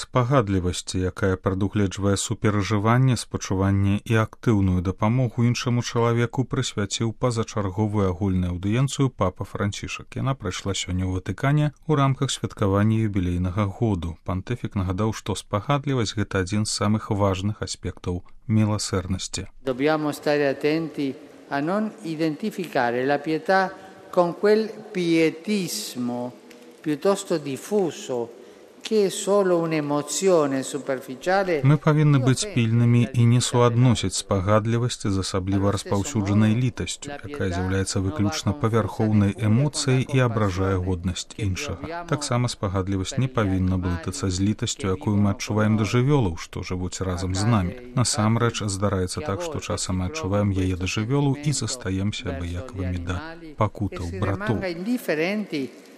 спагадлівасці, якая прадугледжвае суперажыванне, спачуванне і актыўную дапамогу іншаму чалавеку, прысвяціў пазачарговую агульную аўдыенцыю папа Францішак. Яна прайшла сёння ў Ватыкане ў рамках святкавання юбілейнага году. Пантыфік нагадаў, што спагадлівасць – гэта адзін з самых важных аспектаў милосердности. Dobbiamo stare attenti a non identificare la pietà con quel pietismo piuttosto diffuso che è solo un'emozione superficiale. Мы павінны быць пільнымі і не суадносіць спагадлівасці з асабліва распаўсюджанай літасцю, якая з'яўляецца выключна павярхоўнай эмоцыяй і абражае годнасць іншага. Таксама спагадлівасць не павінна блытацца з літасцю, якую мы адчуваем да жывёлаў, што жывуць разам з намі. Насамрэч, здараецца так, што часам мы адчуваем яе да жывёлаў і застаемся абыякавымі да пакутаў братоў.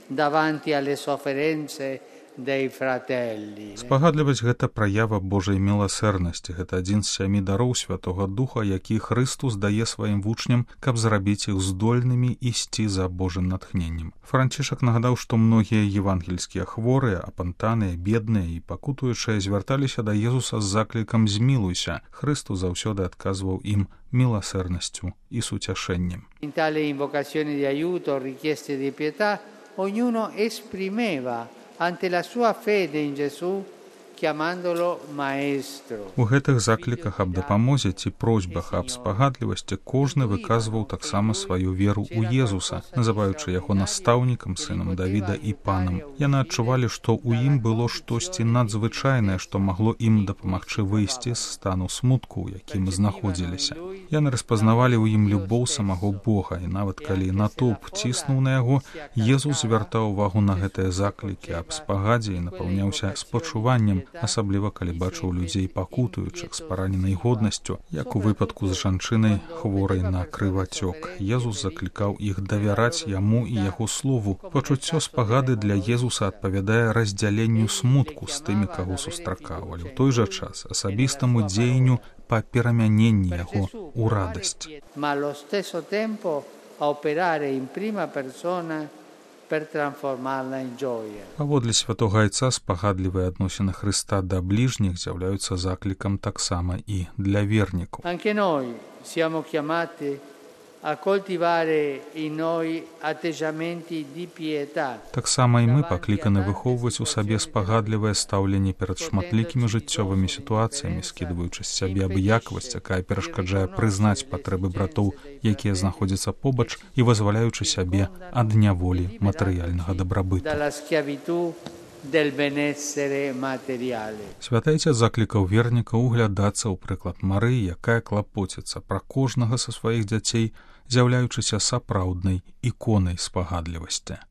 Davanti alle sofferenze dei fratelli. Спагадлівасць – гэта праява Божай міласэрнасці. Гэта адзін з 7 дароў Святога Духа, які Христус дае сваім вучням, каб зрабіць іх здольнымі ісці за Божым натхненнем. Францішак нагадаў, што многія евангельскія хворыя, апантаныя, бедныя і пакутуючыя звярталіся да Езуса з заклікам «Змілуйся». Христус заўсёды адказваў ім міласэрнасцю і суцяшэннем. In tale invocazione di aiuto, richieste di pietà, ognuno esprimeva ante la sua fede in Gesù, chiamandolo maestro. У гэтых закліках аб дапамозе ці просьбах аб спагадлівасці кожны выказваў таксама сваю веру ў Езуса, называючы яго настаўнікам, сынам Давіда і панам. Яны адчувалі, што ў ім было штосьці надзвычайнае, што магло ім дапамагчы выйсці з стану смутку, у якім знаходзіліся. Яны распазнавалі ў ім любоў самого Бога, і нават калі натоўп ціснуў на яго, Езус звяртаў увагу на гэтыя заклікі аб спагадзе і напаўняўся спачуваннем, асабліва калі бачыў людзей пакутуючых з параненай годнасцю, як у выпадку з жанчынай, хворай на крывацёк. Езус заклікаў іх давяраць яму і яго слову. Пачуццё спагады для Езуса адпавядае раздзяленню смутку з тымі, каго сустракаў, але ў той жа час асабістаму дзеянню па перамяненні яго ў радасць. Ma allo stesso tempo a operare in prima persona per trasformarla in gioia. Паводле святога Айца спагадлівыя адносіны Хрыста да бліжніх з'яўляюцца заклікам таксама і для вернікаў. Anche noi siamo chiamati a coltivare in noi atteggiamenti di pietà. Таксама і мы пакліканы выхоўваць у сабе спагадлівае стаўленне перад шматлікімі жыццёвымі сітуацыямі, скідваючы з сябе абыякавасць, якая перашкаджае прызнаць патрэбы братоў, якія знаходзяцца побач, і вызваляючы сябе ад няволі матэрыяльнага дабрабыту. Святайце заклікаў вернікаў углядацца ў прыклад Марыі, якая клапоціцца пра кожнага са сваіх дзяцей, з'яўляючыся сапраўднай іконай спагадлівасці.